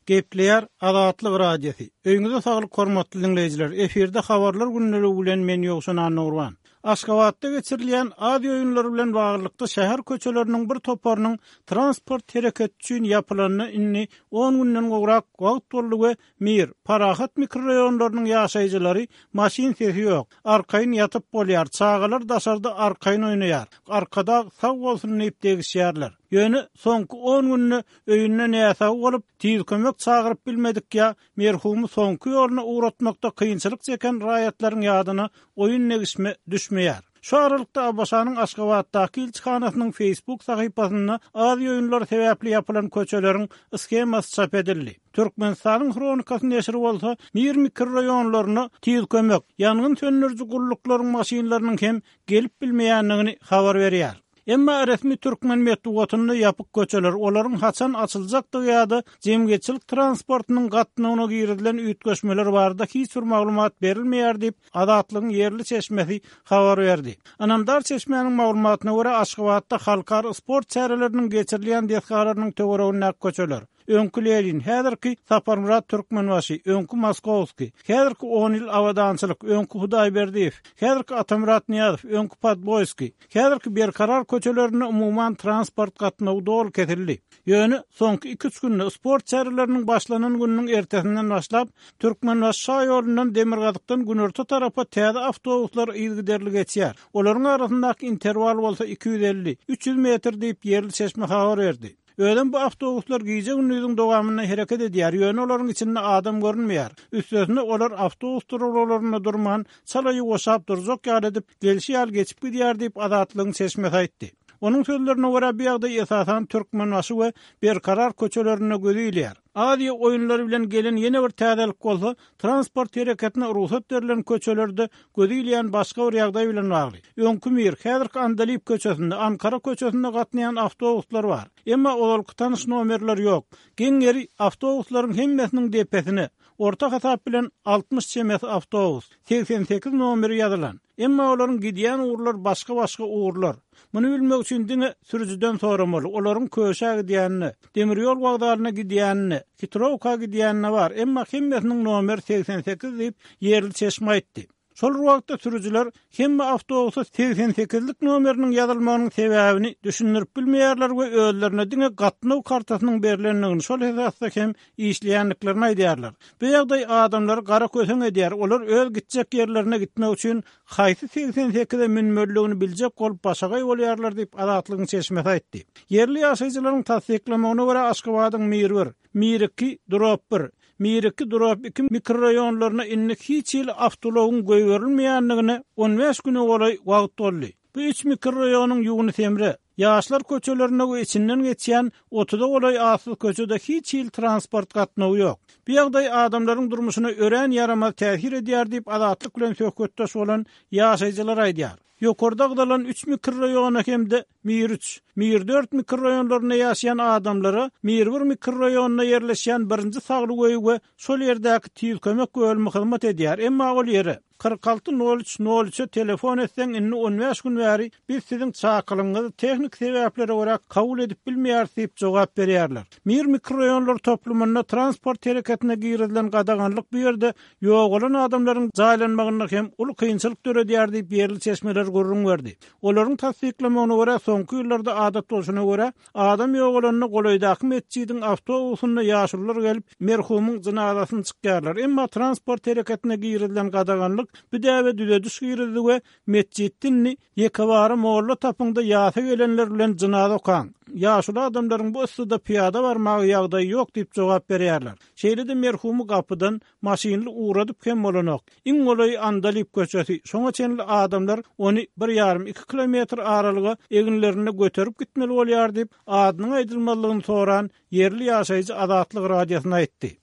Gepleýär Azatlyk Radiosy. Öýüňize saglyk hormatly diňleýjiler. Efirde habarlar gündeligi bilen men Ýowşan Annagurban. Aşgabatda geçirilýän Aziýa oýunlary bilen baglylykda şäher köçeleriniň bir toparynyň transport hereketi üçin ýapylanyna indi on günden gowrak wagt boldy we Mir, Parahat mikroraýonlarynyň ýaşaýjylary maşyn sesi ýok, arkaýyn ýatyp bolýar, çagalar daşarda arkaýyn oýnaýar, Arkadag sag bolsun diýip degişýärler. Ýöne soňky on günde öýünde näsag bolup, tiz kömek çagyryp bilmedik ýa merhumy soňky ýoluna ugratmakda kynçylyk çeken raýatlaryň ýadyna oýun-degişme düşmeýär. Şu aralykda ABŞ-nyň Aşgabatdaky ilçihanasynyň Facebook sahypasynda Aziýa oýunlary sebäpli ýapylan köçeleriň shemasy çap edildi. Türkmenistanyň Hronikasy neşiri bolsa Mir mikroraýonlaryna tiz kömek, ýangyn söndüriji gulluklaryň maşynlarynyň hem gelip bilmeýändigini habar berýär. Emma resmi türkmen metbugatynda ýapyk köçeler, olaryň haçan açyljakdygy ýa-da jemgyýetçilik transportynyň gatnawyna girizilen üýtgeşmeler barada hiç bir maglumat berilmeýär diýip, Azatlygyň ýerli çeşmesi habar berdi. Ynamdar çeşmäniň maglumatyna görä, Aşgabatda halkara sport çäreleriniň geçirilýän desgalarynyň töweregindäki köçeler, Öňki Lenin, häzirki Saparmyrat Türkmenbaşy, öňki Moskowskiý, häzirki On ýyl Abadançylyk, öňki Hudaýberdiýew, häzirki Atamyrat Nyýazow, öňki Podboýskiý, häzirki Berkarar köçelerinde umuman transport gatnawy doly kesildi. Ýöne soňky iki-üç günde sport çäreleriniň başlanan gününiň ertesinden başlap, Türkmenbaşy şaýolundan demirgazykdan günorta tarapa täze awtobuslar yzygiderli geçýär. Olaryň arasyndaky interwal bolsa 250, 300 metr diýip, ýerli çeşme habar berdi. Özem bu awtobuslar gije-gündiziň dowamynda hereket edýär, ýöne olaryň içinde adam görünmeýär. Üstesine, olar awtobus duralgalarynda durman, çala ýuwaşap durjak ýaly edip, gelşi ýaly geçip gidýär diýip, Azatlygyň çeşmesi aýtdy. Onuň sözlerine görä, bu ýagdaý esasan Türkmenbaşy we Berkarar köçelerinde göze ilýär. Aziýa oýunlary bilen gelen ýene bir täzelik bolsa, transport hereketine rugsat berlen köçelerde göze ilýän başga bir ýagdaý bilen bagly. Öňki Mir, häzirki Andalyp köçesinde, Ankara köçesinde gatnaýan awtobuslar bar. Emma ozalky tanyş nomerler ýok. Geň ýeri, awtobuslaryň hemmesiniň depesine, orta hasap bilen 60 çemesi awtobus, 88 nomeri ýazylan. Emma olaryň gidýän ugurlary başga-başga ugurlar. Muny bilmek üçin diňe sürüjiden soramaly, olaryň Köşä gidýänine, demir ýol wokzalyna gidýänine, Hitrowka gidýänine bar, emma hemmesiniň nomeri 88 diýip, ýerli çeşme aýtdy. Şol bir wagtda sürüjiler hemme awtobusa 88-lik nomeriniň ýazylmagynyň sebäbini düşündirip bilmeýärler we özlerine diňe gatnaw kartasynyň berlendigini, şol esasda hem işleýändiklerini aýdýarlar. Bu ýagdaý adamlary gara köseň edýär, olar öz gitjek ýerlerine gitmek üçin haýsy 88-e münmelidigini biljek bolup başagaý bolýarlar diýip, Azatlygyň çeşmesi aýtdy. Ýerli ýaşaýjylaryň tassyklamagyna görä, Aşgabadyň Mir bir, Mir iki, Drop bir, Mir iki, Drop iki mikroraýonlaryna indi hiç hili awtoulagyň goýberilmeýändigine on bäş güne golaý wagt boldy. Bu üç mikroraýonyň Ýunus Emre, Ýaşlar köçelerinde we içinden geçýän otuza golaý atsyz köçede hiç hili transport gatnawy ýok. Bu ýagdaý adamlaryň durmuşyna örän ýaramaz täsir edýär diýip, Azatlyk bilen söhbetdeş bolan ýaşaýjylar aýdýar. Ýokarda agzalan üç mikroraýona hem-de Mir üç, Mir dört mikroraýonlarynda ýaşaýan adamlara Mir bir mikroraýonynda ýerleşýän birinji saglyk öýi we şol ýerdäki tiz kömek bölümi hyzmat edýär, emma ol ýere 46 nol üç nol üçe telefon etseň indi on bäş gün bäri biz siziň çakylygyňyzy tehniki sebäplere görä kabul edip bilmeýäris diýip jogap berýärler. Mir mikroraýonlar toplumynda transport hereketine girizilen gadaganlyk bu ýerde ýogalan adamlaryň jaýlanmagynda hem uly kynçylyk döredýär diýip ýerli çeşmeler gürrüň berdi. Olaryň tassyklamagyna görä soňky ýyllarda adat bolşuna görä Adam ýogalanda golaýdaky metjidiň awtobusynda ýaşulular gelip, merhumyň jynazasyny çykýarlar. Emma transport hereketine girizilen gadaganlyk bu däbe düzediş girizdi we metjitde indi ýekebara molla tapyň-da ýasa gelenler bilen jynaza okaň. Ýaşuly adamlaryň bu yssyda pyýada barmaga ýagdaýy ýok diýip jogap berýärler. Şeýle-de merhumy gapydan maşynly ugradyp hem bolanok. Iň golaýy Andalyp köçesi, şoňa çenli adamlar ony bir ýarym, iki kilometr aralyga eginlerinde göterip gitmeli bolýar diýip, adynyň aýdylmazlygyny soran ýerli ýaşaýjy Azatlyk Radiosyna aýtdy.